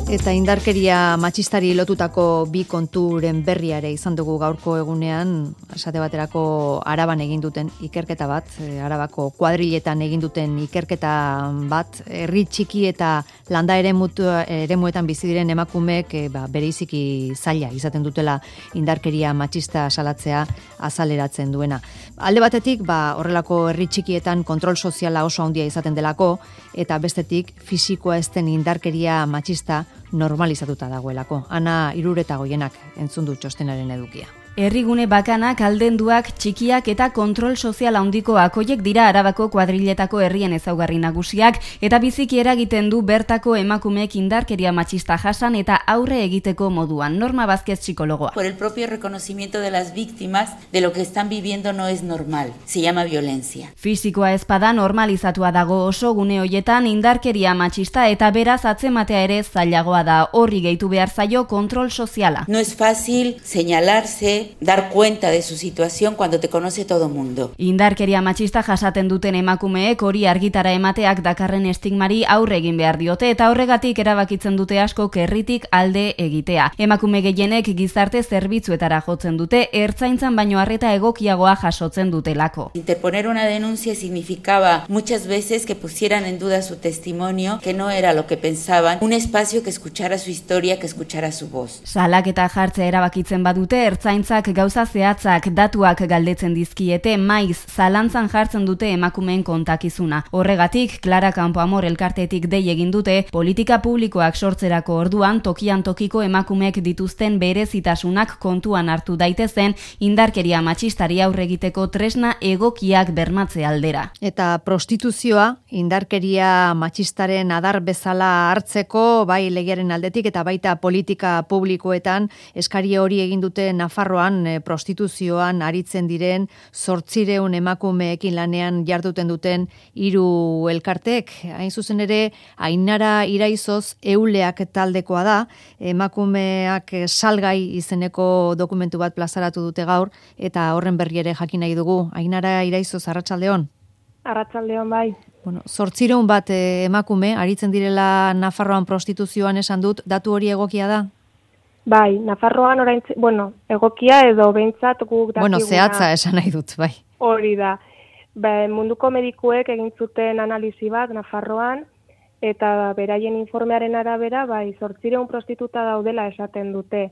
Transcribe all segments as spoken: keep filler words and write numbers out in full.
Eta indarkeria matxistari lotutako bi konturen berriare izan dugu gaurko egunean, esate baterako Araban egin duten ikerketa bat, Arabako kuadriletan egin duten ikerketa bat, herri txiki eta landa eremuetan bizi diren emakumeek e, ba, bereiziki zaila izaten dutela indarkeria matxista salatzea azaleratzen duena. Alde batetik, ba, horrelako herri txikietan kontrol soziala oso handia izaten delako, eta bestetik fisikoa ez den indarkeria matxista normalizatuta dagoelako. Ana Irureta Goienak entzun du txostenaren edukia. Herrigune bakanak, aldenduak, txikiak eta kontrol sozial handikoak hoiek dira Arabako kuadriletako herrien ezaugarri nagusiak eta biziki eragiten du bertako emakumeek indarkeria matxista jasan eta aurre egiteko moduan. Norma Vázquez, psikologoa. Por el propio reconocimiento de las víctimas de lo que están viviendo no es normal. Se llama violencia. Fisikoa ezpada normalizatua dago oso gune hoietan indarkeria matxista eta beraz atzematea ere zailagoa da. Horri gehitu behar zaio kontrol soziala. No es fácil señalarse, dar cuenta de su situación cuando te conoce todo mundo. Indarkeria matxista jasaten duten emakumeek hori argitara emateak dakarren estigmari aurre egin behar diote eta horregatik erabakitzen dute asko herritik alde egitea. Emakume gehienek gizarte zerbitzuetara jotzen dute, ertzaintzan baino arreta egokiagoa jasotzen dutelako. Interponer una denuncia significaba muchas veces que pusieran en duda su testimonio, que no era lo que pensaban, un espacio que escuchara su historia, que escuchara su voz. Salaketa jartzea erabakitzen badute, ertzaintzak gauza zehatzak datuak galdetzen dizkiete, maiz zalantzan jartzen dute emakumeen kontakizuna. Horregatik, Clara Campoamor elkartetik dei egin dute, politika publikoak sortzerako orduan tokian tokiko emakumeek dituzten berezitasunak kontuan hartu daitezen indarkeria matxistari aurre egiteko tresna egokiak bermatze aldera. Eta prostituzioa indarkeria matxistaren adar bezala hartzeko, bai legearen aldetik eta baita politika publikoetan eskari hori egin dute Nafarroan prostituzioan aritzen diren zortzireun emakumeekin lanean jarduten duten hiru elkartek. Hain zuzen ere, Ainara Iraizoz Euleak taldekoa da, emakumeak salgai izeneko dokumentu bat plazaratu dute gaur, eta horren berri ere jakin nahi dugu. Ainara Iraizoz, arratsaldeon. Arratsaldeon bai. Bueno, zortzireun bat emakume aritzen direla Nafarroan prostituzioan esan dut, datu hori egokia da? Bai, Nafarroan orain, bueno, egokia edo behintzat guk dakiguna. Bueno, zehatza esan nahi dut, bai. Hori da. Ba, munduko medikuek egin zuten analisi bat Nafarroan, eta beraien informearen arabera, bai, zortzireun prostituta daudela esaten dute.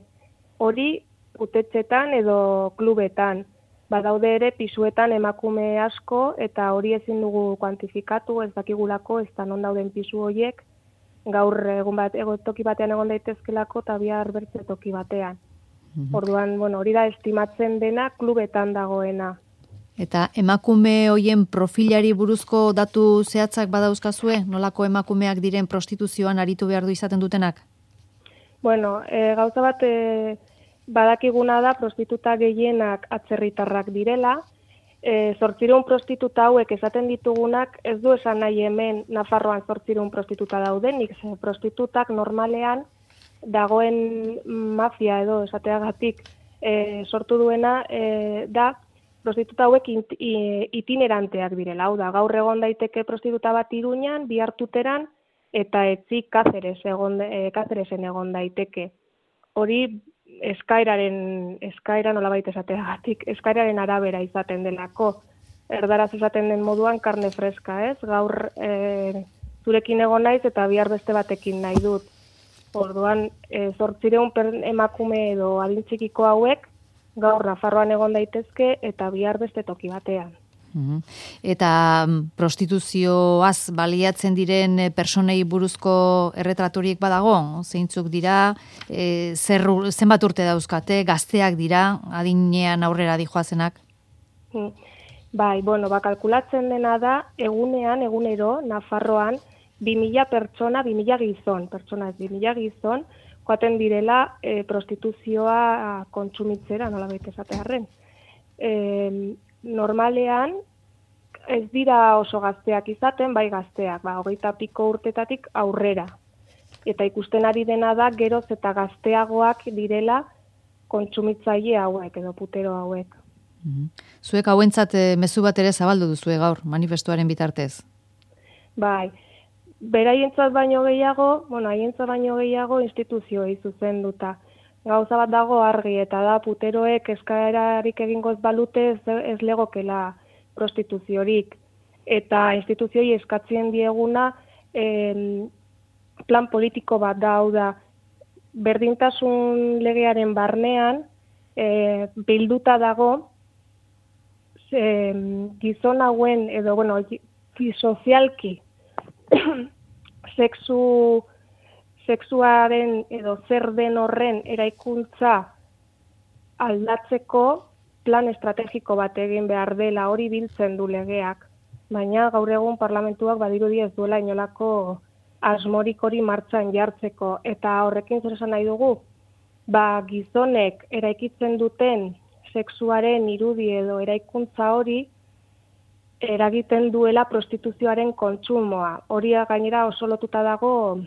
Hori, utetxetan edo klubetan. Ba, daude ere pisuetan emakume asko, eta hori ezin dugu kuantifikatu, ez dakigulako, ez da non dauden pisu horiek, gaur egun bat toki batean egon daitezkelako eta bihar bertze toki batean. Mm-hmm. Orduan, bueno, hori da estimatzen dena klubetan dagoena. Eta emakume hoien profilari buruzko datu zehatzak badauzkazue? Nolako emakumeak diren prostituzioan aritu behar du izaten dutenak? Bueno, e, gauza bat e, badakiguna da prostituta gehienak atzerritarrak direla. E, zortzireun prostituta hauek esaten ditugunak ez du esan nahi hemen Nafarroan zortzireun prostituta daudenik, ze prostitutak normalean dagoen mafia edo esateagatik e, sortu duena e, da prostituta hauek it, itineranteak direla. Hau da, gaur egon daiteke prostituta bat Iruñan, bihar Tuteran eta etzi Kazeres egon, e, Kazeresen egon daiteke. Hori eskairaren, eskaira nolabait esateagatik, eskairaren arabera izaten delako. Erdaraz esaten den moduan karne freska, ez? Gaur e, zurekin egon naiz eta bihar beste batekin nahi dut. Orduan, e, zortzireun emakume edo adintxikiko hauek, gaur Nafarroan egon daitezke eta bihar beste toki batean. Eta prostituzioaz baliatzen diren personei buruzko erretraturiek badago? Zeintzuk dira, e, zer, zenbat urte dauzkate, gazteak dira, adinean aurrera dijoazenak? Bai, bueno, ba, kalkulatzen dena da, egunean, egunero, Nafarroan, bi mila pertsona, bi mila gizon, pertsona ez, bi mila gizon, joaten direla e, prostituzioa kontsumitzera, nola baita esatearren. E, normalean, ez dira oso gazteak izaten, bai gazteak, ba, hogeita piko urtetatik aurrera. Eta ikusten ari dena da, geroz eta gazteagoak direla kontsumitzaile hauek edo putero hauek. Zuek hauentzat e, mezu bat ere zabaldu duzue gaur, manifestuaren bitartez. Bai, beraientzat baino gehiago, bueno, haientzat baino gehiago instituzioei zuzenduta. Gauza bat dago argi, eta da puteroek eskaerarik egingo ez balute ez, ez legokela prostituziorik. Eta instituzioi eskatzen dieguna eh, plan politiko bat da, hau da, berdintasun legearen barnean eh, bilduta dago eh, gizon hauen, edo, bueno, sozialki sexu, sexuaren edo zer den horren eraikuntza aldatzeko plan estrategiko bat egin behar dela, hori biltzen du legeak. Baina gaur egun parlamentuak badirudi ez duela inolako asmorik hori martxan jartzeko. Eta horrekin zer esan nahi dugu, ba gizonek eraikitzen duten sexuaren irudi edo eraikuntza hori eragiten duela prostituzioaren kontsumoa. Hori gainera oso lotuta dago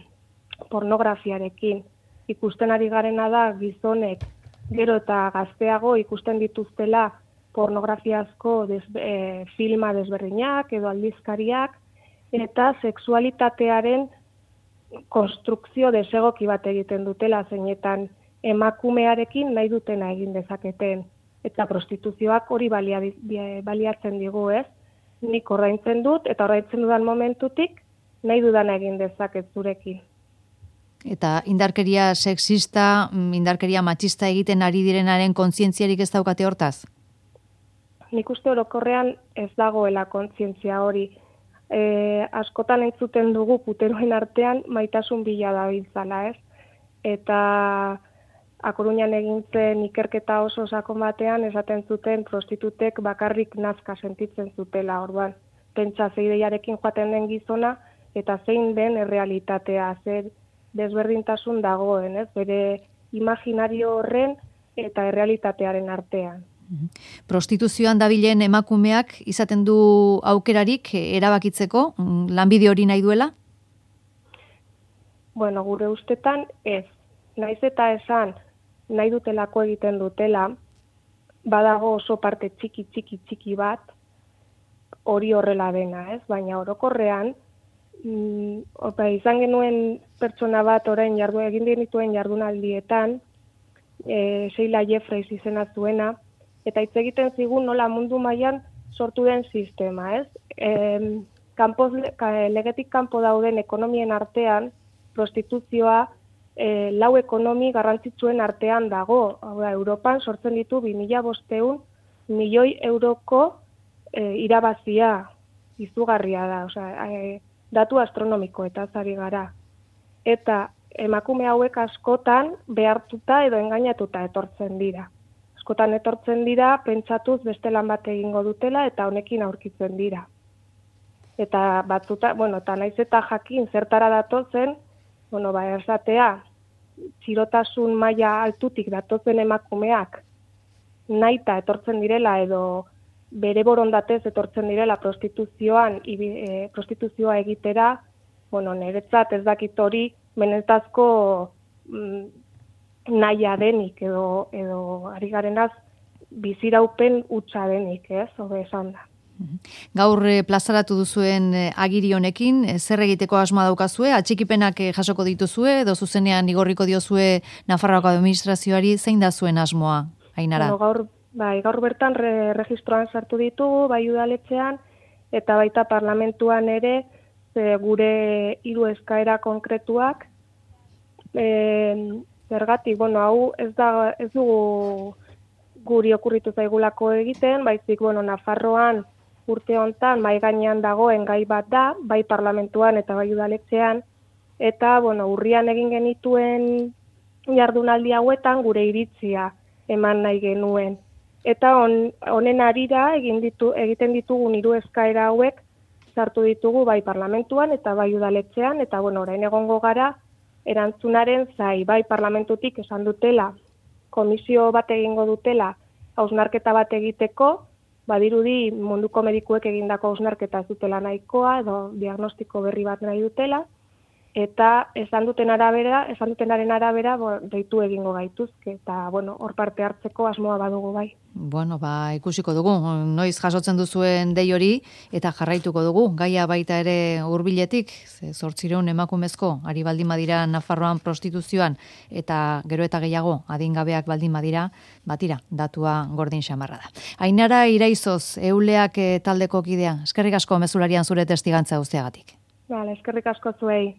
pornografiarekin. Ikusten ari garena da gizonek gero eta gazteago ikusten dituztela pornografiazko des, e, filma desberdinak edo aldizkariak, eta sexualitatearen konstrukzio desegoki bat egiten dutela, zeinetan emakumearekin nahi dutena egin dezaketen. Eta prostituzioak hori balia, baliatzen digu, ez? Nik ordaintzen dut, eta ordaintzen dudan momentutik nahi dudana egin dezaket zurekin. Eta indarkeria sexista, indarkeria matxista egiten ari direnaren kontzientziarik ez daukate hortaz? Nik uste orokorrean ez dagoela kontzientzia hori. E, askotan entzuten dugu puteroen artean maitasun bila dabiltzala, ez? Eta A Coruñan egin zen ikerketa oso sakon batean esaten zuten prostitutek bakarrik nazka sentitzen zutela, orduan. Pentsa zeideiarekin joaten den gizona eta zein den errealitatea, zer desberdintasun dagoen, ez? Bere imaginario horren eta errealitatearen artean. Prostituzioan dabilen emakumeak izaten du aukerarik erabakitzeko, lanbide hori nahi duela? Bueno, gure ustetan ez. Naiz eta esan nahi dutelako egiten dutela, badago oso parte txiki txiki txiki bat hori horrela dena, ez? Baina orokorrean mm, opa, izan genuen pertsona bat orain jardu egin dituen jardunaldietan, e, Sheila Jeffreys izena zuena, eta hitz egiten zigun nola mundu mailan sortu den sistema, ez? E, kanpoz, legetik kanpo dauden ekonomien artean prostituzioa E, lau ekonomi garrantzitsuen artean dago. Hau da, Europan sortzen ditu bi mila bostehun milioi euroko e, irabazia izugarria da. Osea, e, datu astronomiko eta zari gara. Eta emakume hauek askotan behartuta edo engainatuta etortzen dira. Askotan etortzen dira, pentsatuz beste lan bat egingo dutela eta honekin aurkitzen dira. Eta batzuta, bueno, eta naiz eta jakin zertara datozen, bueno, ba, esatea, txirotasun maila altutik datozen emakumeak naita etortzen direla edo bere borondatez etortzen direla prostituzioan, e, prostituzioa egitera, bueno, niretzat ez dakit hori benetazko mm, nahia denik edo, edo ari garenaz biziraupen hutsa denik, ez, hobe esan da. Gaur eh, plazaratu duzuen eh, agiri honekin, eh, zer egiteko asmoa daukazue, atxikipenak eh, jasoko dituzue, edo zuzenean igorriko diozue Nafarroako administrazioari, zein da zuen asmoa, Ainara? Bueno, gaur, bai, gaur bertan re, registroan sartu ditugu, bai udaletxean, eta baita parlamentuan ere, ze, gure hiru eskaera konkretuak, e, zergatik, bueno, hau ez da, ez dugu guri okurritu zaigulako egiten, baizik, bueno, Nafarroan urte hontan mai gainean dagoen gai bat da, bai parlamentuan eta bai udaletxean, eta bueno, urrian egin genituen jardunaldi hauetan gure iritzia eman nahi genuen. Eta on, honen arira egin ditu, egiten ditugun hiru eskaera hauek sartu ditugu bai parlamentuan eta bai udaletxean, eta bueno, orain egongo gara erantzunaren zai, bai parlamentutik esan dutela, komisio bat egingo dutela, hausnarketa bat egiteko, badirudi munduko medikuek egindako hausnarketa zutela nahikoa, edo diagnostiko berri bat nahi dutela, eta esan duten arabera, esan dutenaren arabera, bo, deitu egingo gaituzke, eta, bueno, hor parte hartzeko asmoa badugu bai. Bueno, ba, ikusiko dugu, noiz jasotzen duzuen dei hori, eta jarraituko dugu, gaia baita ere hurbiletik, zortzireun emakumezko, ari baldin badira Nafarroan prostituzioan, eta gero eta gehiago adingabeak baldin badira, batira, datua gordin xamarra da. Ainara Iraizoz, Euleak taldeko kidea, eskerrik asko mezularian zure testigantza guztiagatik. Vale, eskerrik asko zuei.